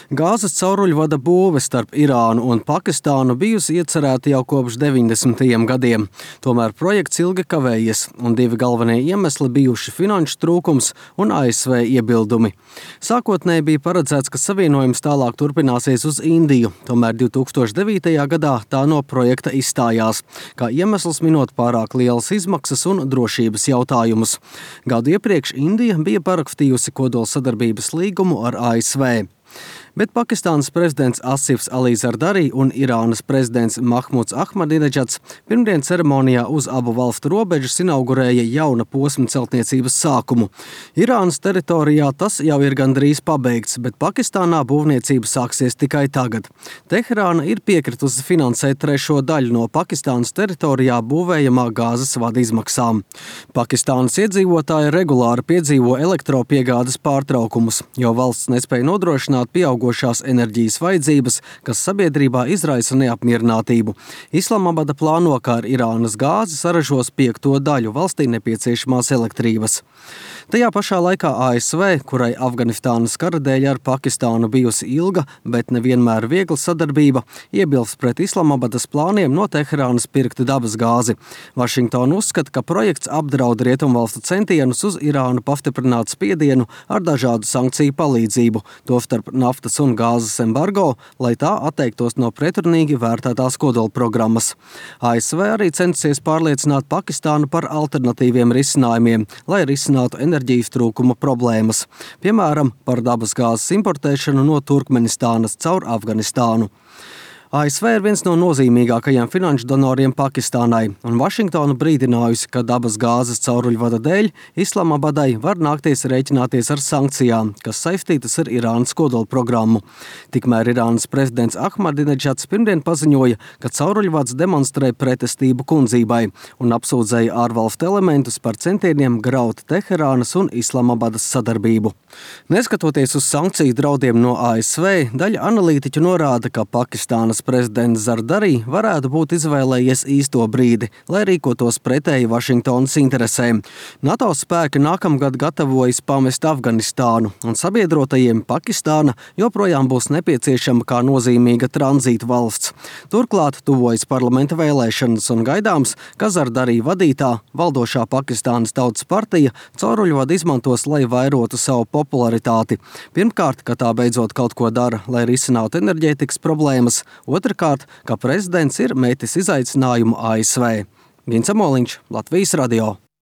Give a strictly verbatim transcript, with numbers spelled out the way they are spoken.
Gāzes cauruļvada būve starp Irānu un Pakistānu bijusi iecerēta jau kopš deviņdesmitajiem gadiem. Tomēr projekts ilgi kavējies, un divi galvenie iemesli bijuši finanšu trūkums un A S V iebildumi. Sākotnēji bija paredzēts, ka savienojums tālāk turpināsies uz Indiju, tomēr divi tūkstoši devītajā gadā tā no projekta izstājās, kā iemesls minot pārāk lielas izmaksas un drošības jautājumus. Gadu iepriekš Indija bija parakstījusi kodolsadarbības līgumu ar A S V. Bet Pakistānas prezidents Asifs Ali Zardari un Irānas prezidents Mahmuds Ahmadineģats pirmdien ceremonijā uz abu valstu robežas inaugurēja jauna posma celtniecības sākumu. Irānas teritorijā tas jau ir gandrīz pabeigts, bet Pakistānā būvniecība sāksies tikai tagad. Teherāna ir piekritusi finansēt trešo daļu no Pakistānas teritorijā būvējamā gāzes vada izmaksām. Pakistānas iedzīvotāji regulāri piedzīvo elektropiegādes pārtraukumus, jo valsts nespēja nodrošināt pieaugošās enerģijas vajadzības, kas sabiedrībā izraisa neapmierinātību. Islamabada plāno, ka ar Irānas gāzi saražos piekto daļu valstī nepieciešamās elektrības. Tajā pašā laikā A S V, kurai Afganistānas kara dēļ ar Pakistānu bijusi ilga, bet nevienmēr viegla sadarbība, iebilst pret Islamabadas plāniem no Teherānas pirkt dabas gāzi. Vašingtona uzskata, ka projekts apdraud rietumvalstu centienus uz Irānu pastiprināt spiedienu ar dažādu sankciju palīdzību, tostarp naftas un gāzes embargo, lai tā atteiktos no pretrunīgi vērtētās kodolprogrammas. A S V arī censies pārliecināt Pakistānu par alternatīviem risinājumiem, lai risinātu enerģijas trūkuma problēmas, piemēram, par dabas gāzes importēšanu no Turkmenistānas caur Afganistānu. A S V ir viens no nozīmīgākajiem finanšu donoriem Pakistānai, un Vašingtona brīdinājusi, ka dabas gāzes cauruļvada dēļ Islamabadai var nākties rēķināties ar sankcijām, kas saistītas ar Irānas kodolprogrammu. Tikmēr Irānas prezidents Ahmadineģats pirmdien paziņoja, ka cauruļvads demonstrē pretestību kundzībai un apsūdzēja ārvalstu elementus par centieniem graut Teherānas un Islamabadas sadarbību. Neskatoties uz sankciju draudiem no A S V, daļa analītiķu norāda, ka Pakistānas prezidents Zardari varētu būt izvēlējies īsto brīdi, lai rīkotos pretēji Vašingtonas interesēm. NATO spēki nākamgad gatavojas pamest Afganistānu, un sabiedrotajiem Pakistāna joprojām būs nepieciešama kā nozīmīga tranzīta valsts. Turklāt tuvojas parlamenta vēlēšanas un gaidāms, ka Zardari vadītā valdošā Pakistānas Tautas partija cauruļvadu izmantos, lai vairotu savu popularitāti. Pirmkārt, ka tā beidzot kaut ko dara, lai risinātu enerģētikas problēmas. Otrakārt, ka prezidents ir metis izaicinājumu A S V. Gins Amoliņš, Latvijas radio.